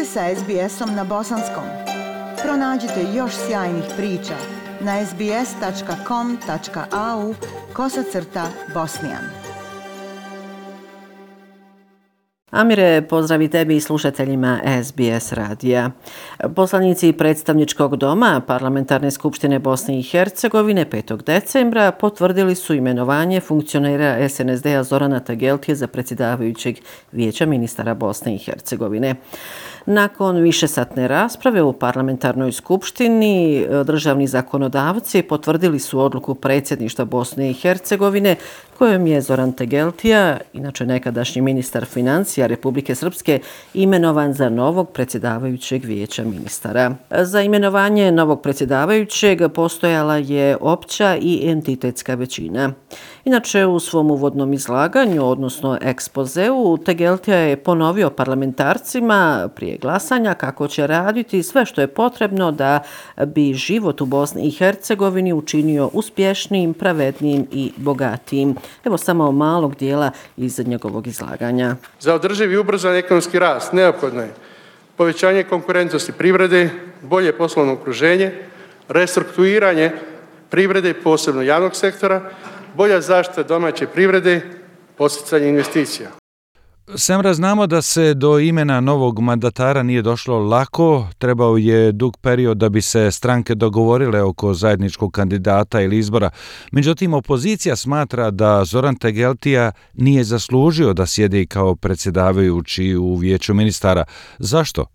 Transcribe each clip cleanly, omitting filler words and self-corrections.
ste sa SBS-om na bosanskom. Pronađite još sjajnih priča na sbs.com.au/bosnijan. Amire, pozdrav i tebi i slušateljima SBS radija. Poslanici predstavničkog doma Parlamentarne skupštine Bosne i Hercegovine 5. decembra potvrdili su imenovanje funkcionera SNSD-a Zorana Tegeltije za predsjedavajućeg Vijeća ministara Bosne i Hercegovine. Nakon višesatne rasprave u parlamentarnoj skupštini, državni zakonodavci potvrdili su odluku predsjedništva Bosne i Hercegovine kojom je Zoran Tegeltija, inače nekadašnji ministar financija Republike Srpske, imenovan za novog predsjedavajućeg Vijeća ministara. Za imenovanje novog predsjedavajućeg postojala je opća i entitetska većina. Inače, u svom uvodnom izlaganju, odnosno ekspozeu, Tegeltija je ponovio parlamentarcima prije glasanja kako će raditi sve što je potrebno da bi život u Bosni i Hercegovini učinio uspješnijim, pravednijim i bogatijim. Evo samo malog dijela iz njegovog izlaganja. Za održiv i ubrzan ekonomski rast neophodno je povećanje konkurentnosti privrede, bolje poslovno okruženje, restrukturiranje privrede i posebno javnog sektora, bolja zaštita domaće privrede, podsticanje investicija. Semra, znamo da se do imena novog mandatara nije došlo lako, trebao je dug period da bi se stranke dogovorile oko zajedničkog kandidata ili izbora. Međutim, opozicija smatra da Zoran Tegeltija nije zaslužio da sjedi kao predsjedavajući u Vijeću ministara. Zašto?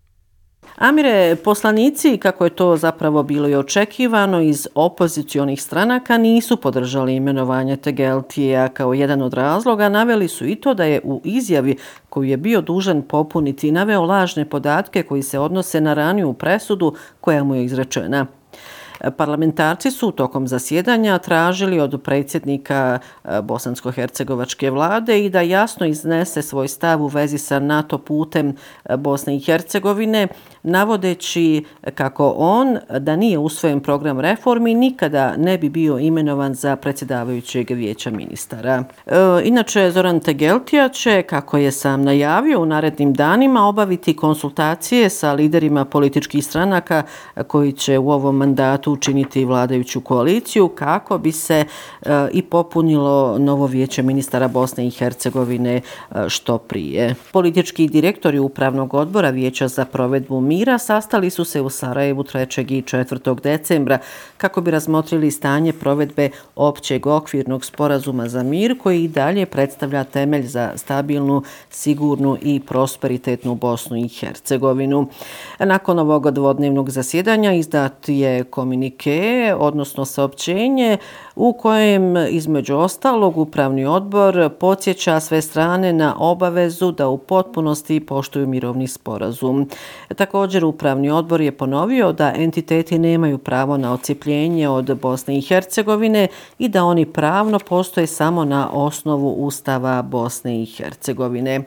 Amire, poslanici, kako je to zapravo bilo i očekivano, iz opozicionih stranaka nisu podržali imenovanje Tegeltija. Kao jedan od razloga naveli su i to da je u izjavi koju je bio dužan popuniti naveo lažne podatke koji se odnose na raniju presudu koja mu je izrečena. Parlamentarci su tokom zasjedanja tražili od predsjednika bosansko-hercegovačke vlade i da jasno iznese svoj stav u vezi sa NATO putem Bosne i Hercegovine, navodeći kako on, da nije usvojen program reformi, nikada ne bi bio imenovan za predsjedavajućeg Vijeća ministara. Inače, Zoran Tegeltija će, kako je sam najavio, u narednim danima obaviti konsultacije sa liderima političkih stranaka koji će u ovom mandatu učiniti vladajuću koaliciju kako bi se i popunilo novo Vijeće ministara Bosne i Hercegovine što prije. Politički direktori Upravnog odbora Vijeća za provedbu mira sastali su se u Sarajevu 3. i 4. decembra kako bi razmotrili stanje provedbe općeg okvirnog sporazuma za mir koji i dalje predstavlja temelj za stabilnu, sigurnu i prosperitetnu Bosnu i Hercegovinu. Nakon ovog dvodnevnog zasjedanja izdat je komunike, odnosno saopćenje u kojem između ostalog Upravni odbor podsjeća sve strane na obavezu da u potpunosti poštuju mirovni sporazum. Također Upravni odbor je ponovio da entiteti nemaju pravo na odcijepljenje od Bosne i Hercegovine i da oni pravno postoje samo na osnovu Ustava Bosne i Hercegovine.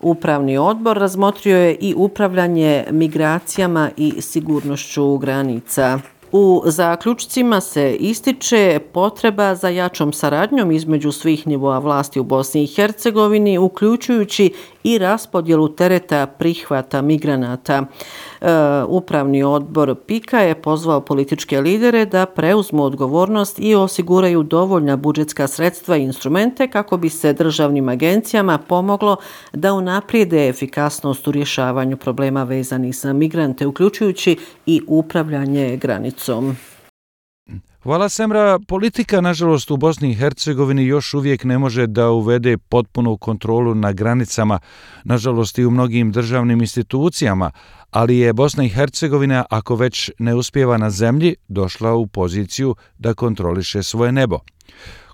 Upravni odbor razmotrio je i upravljanje migracijama i sigurnošću granica. U zaključcima se ističe potreba za jačom saradnjom između svih nivoa vlasti u Bosni i Hercegovini, uključujući i raspodjelu tereta prihvata migranata. Upravni odbor PIKA je pozvao političke lidere da preuzmu odgovornost i osiguraju dovoljna budžetska sredstva i instrumente kako bi se državnim agencijama pomoglo da unaprijede efikasnost u rješavanju problema vezanih za migrante, uključujući i upravljanje granicom. Hvala, Semra. Politika, nažalost, u Bosni i Hercegovini još uvijek ne može da uvede potpunu kontrolu na granicama, nažalost i u mnogim državnim institucijama, ali je Bosna i Hercegovina, ako već ne uspijeva na zemlji, došla u poziciju da kontroliše svoje nebo.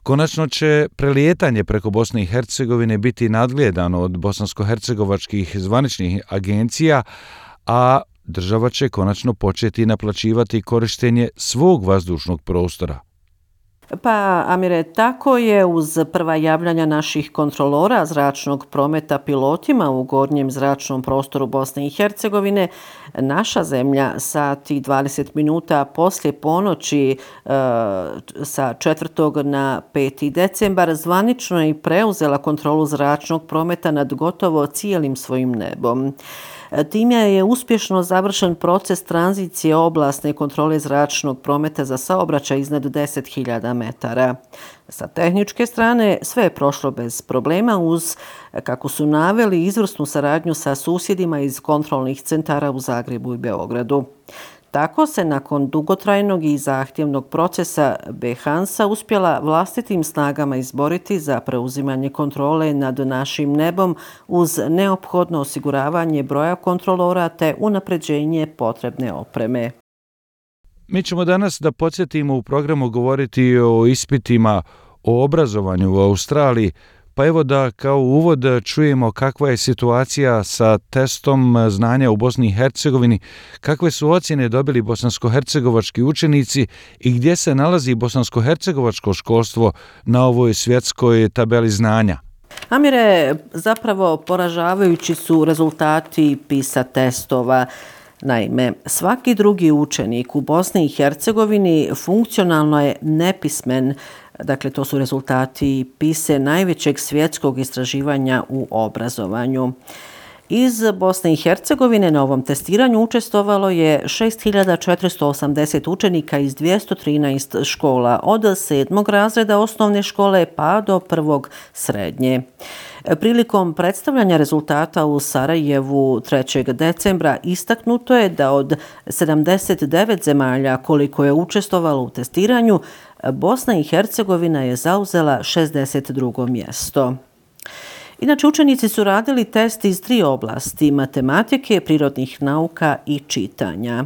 Konačno će prelijetanje preko Bosne i Hercegovine biti nadgledano od bosansko-hercegovačkih zvaničnih agencija, a država će konačno početi naplaćivati korištenje svog vazdušnog prostora. Pa, Amire, tako je uz prva javljanja naših kontrolora zračnog prometa pilotima u gornjem zračnom prostoru Bosne i Hercegovine, naša zemlja sat i 20 minuta poslije ponoći sa 4. na 5. decembar zvanično je preuzela kontrolu zračnog prometa nad gotovo cijelim svojim nebom. Time je uspješno završen proces tranzicije oblasne kontrole zračnog prometa za saobraćaj iznad 10.000 metara. Sa tehničke strane sve je prošlo bez problema uz, kako su naveli, izvrsnu saradnju sa susjedima iz kontrolnih centara u Zagrebu i Beogradu. Tako se nakon dugotrajnog i zahtjevnog procesa BHANSA uspjela vlastitim snagama izboriti za preuzimanje kontrole nad našim nebom uz neophodno osiguravanje broja kontrolora te unapređenje potrebne opreme. Mi ćemo danas, da podsjetimo, u programu govoriti o ispitima o obrazovanju u Australiji, pa evo da kao uvod čujemo kakva je situacija sa testom znanja u Bosni i Hercegovini, kakve su ocjene dobili bosansko-hercegovački učenici i gdje se nalazi bosansko-hercegovačko školstvo na ovoj svjetskoj tabeli znanja. Amire, zapravo poražavajući su rezultati PISA testova. Naime, svaki drugi učenik u Bosni i Hercegovini funkcionalno je nepismen. Dakle, to su rezultati PISA najvećeg svjetskog istraživanja u obrazovanju. Iz Bosne i Hercegovine na ovom testiranju učestvovalo je 6.480 učenika iz 213 škola od 7. razreda osnovne škole pa do 1. srednje. Prilikom predstavljanja rezultata u Sarajevu 3. decembra istaknuto je da od 79 zemalja koliko je učestvovalo u testiranju, Bosna i Hercegovina je zauzela 62. mjesto. Inače, učenici su radili test iz 3 oblasti: matematike, prirodnih nauka i čitanja.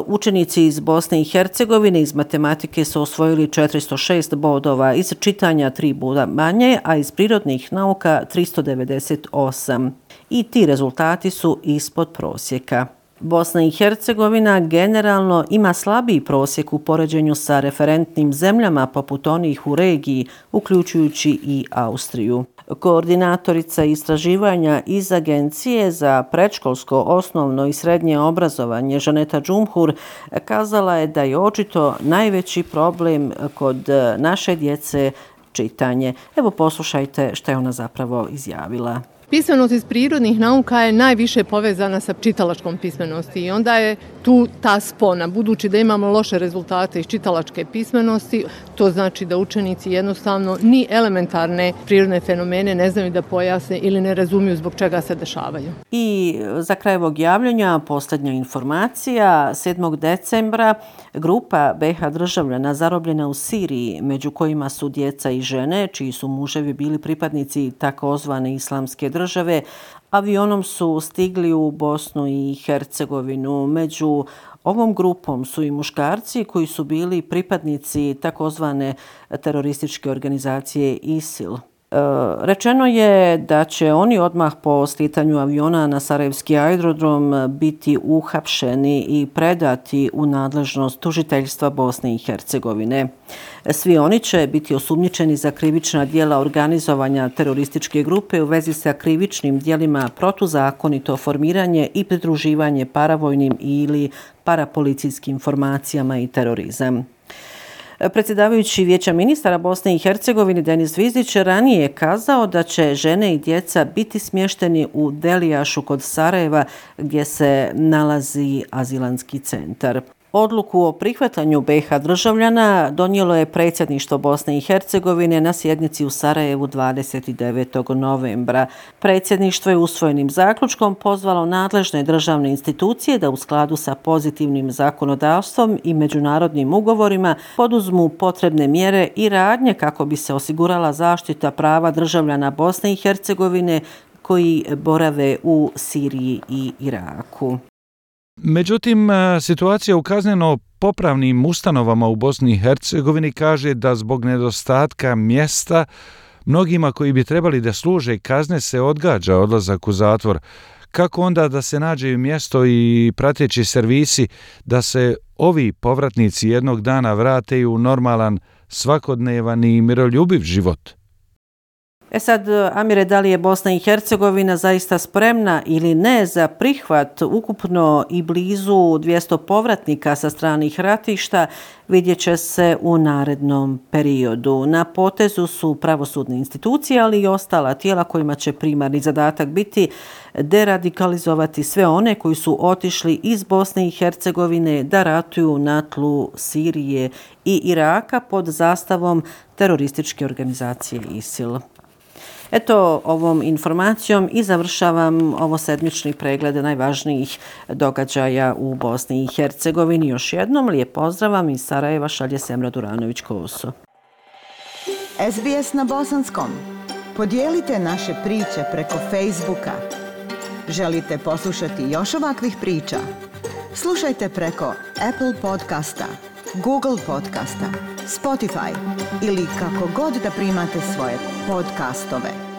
Učenici iz Bosne i Hercegovine iz matematike su osvojili 406 bodova, iz čitanja 3 boda manje, a iz prirodnih nauka 398. I ti rezultati su ispod prosjeka. Bosna i Hercegovina generalno ima slabiji prosjek u poređenju sa referentnim zemljama poput onih u regiji, uključujući i Austriju. Koordinatorica istraživanja iz Agencije za predškolsko, osnovno i srednje obrazovanje Žaneta Džumhur kazala je da je očito najveći problem kod naše djece čitanje. Evo poslušajte što je ona zapravo izjavila. Pismenost iz prirodnih nauka je najviše povezana sa čitalačkom pismenosti i onda je tu ta spona. Budući da imamo loše rezultate iz čitalačke pismenosti, to znači da učenici jednostavno ni elementarne prirodne fenomene ne znaju da pojasne ili ne razumiju zbog čega se dešavaju. I za kraj ovog javljanja posljednja informacija. 7. decembra grupa BiH državljana zarobljena u Siriji, među kojima su djeca i žene, čiji su muževi bili pripadnici takozvane islamske države, avionom su stigli u Bosnu i Hercegovinu. Među ovom grupom su i muškarci koji su bili pripadnici takozvane terorističke organizacije ISIL. Rečeno je da će oni odmah po slijetanju aviona na sarajevski aerodrom biti uhapšeni i predati u nadležnost tužiteljstva Bosne i Hercegovine. Svi oni će biti osumnjičeni za krivična djela organizovanja terorističke grupe u vezi sa krivičnim djelima protuzakonito formiranje i pridruživanje paravojnim ili parapolicijskim formacijama i terorizam. Predsjedavajući Vijeća ministara Bosne i Hercegovine Denis Zvizdić ranije je kazao da će žene i djeca biti smješteni u Delijašu kod Sarajeva gdje se nalazi azilanski centar. Odluku o prihvatanju BiH državljana donijelo je predsjedništvo Bosne i Hercegovine na sjednici u Sarajevu 29. novembra. Predsjedništvo je usvojenim zaključkom pozvalo nadležne državne institucije da u skladu sa pozitivnim zakonodavstvom i međunarodnim ugovorima poduzmu potrebne mjere i radnje kako bi se osigurala zaštita prava državljana Bosne i Hercegovine koji borave u Siriji i Iraku. Međutim, situacija u kazneno-popravnim ustanovama u Bosni i Hercegovini kaže da zbog nedostatka mjesta mnogima koji bi trebali da služe kazne se odgađa odlazak u zatvor. Kako onda da se nađe mjesto i prateći servisi da se ovi povratnici jednog dana vrate u normalan, svakodnevan i miroljubiv život? Sad, Amire, da li je Bosna i Hercegovina zaista spremna ili ne za prihvat ukupno i blizu 200 povratnika sa stranih ratišta, vidjet će se u narednom periodu. Na potezu su pravosudne institucije, ali i ostala tijela kojima će primarni zadatak biti deradikalizovati sve one koji su otišli iz Bosne i Hercegovine da ratuju na tlu Sirije i Iraka pod zastavom terorističke organizacije ISIL. Eto, ovom informacijom i završavam ovo sedmični pregled najvažnijih događaja u Bosni i Hercegovini. Još jednom lijep pozdrav vam iz Sarajeva, šalje Semra Duranović-Koso. SBS na bosanskom. Podijelite naše priče preko Facebooka. Želite poslušati još ovakvih priča? Slušajte preko Apple podcasta, Google podcasta, Spotify ili kako god da primate svoje podcastove.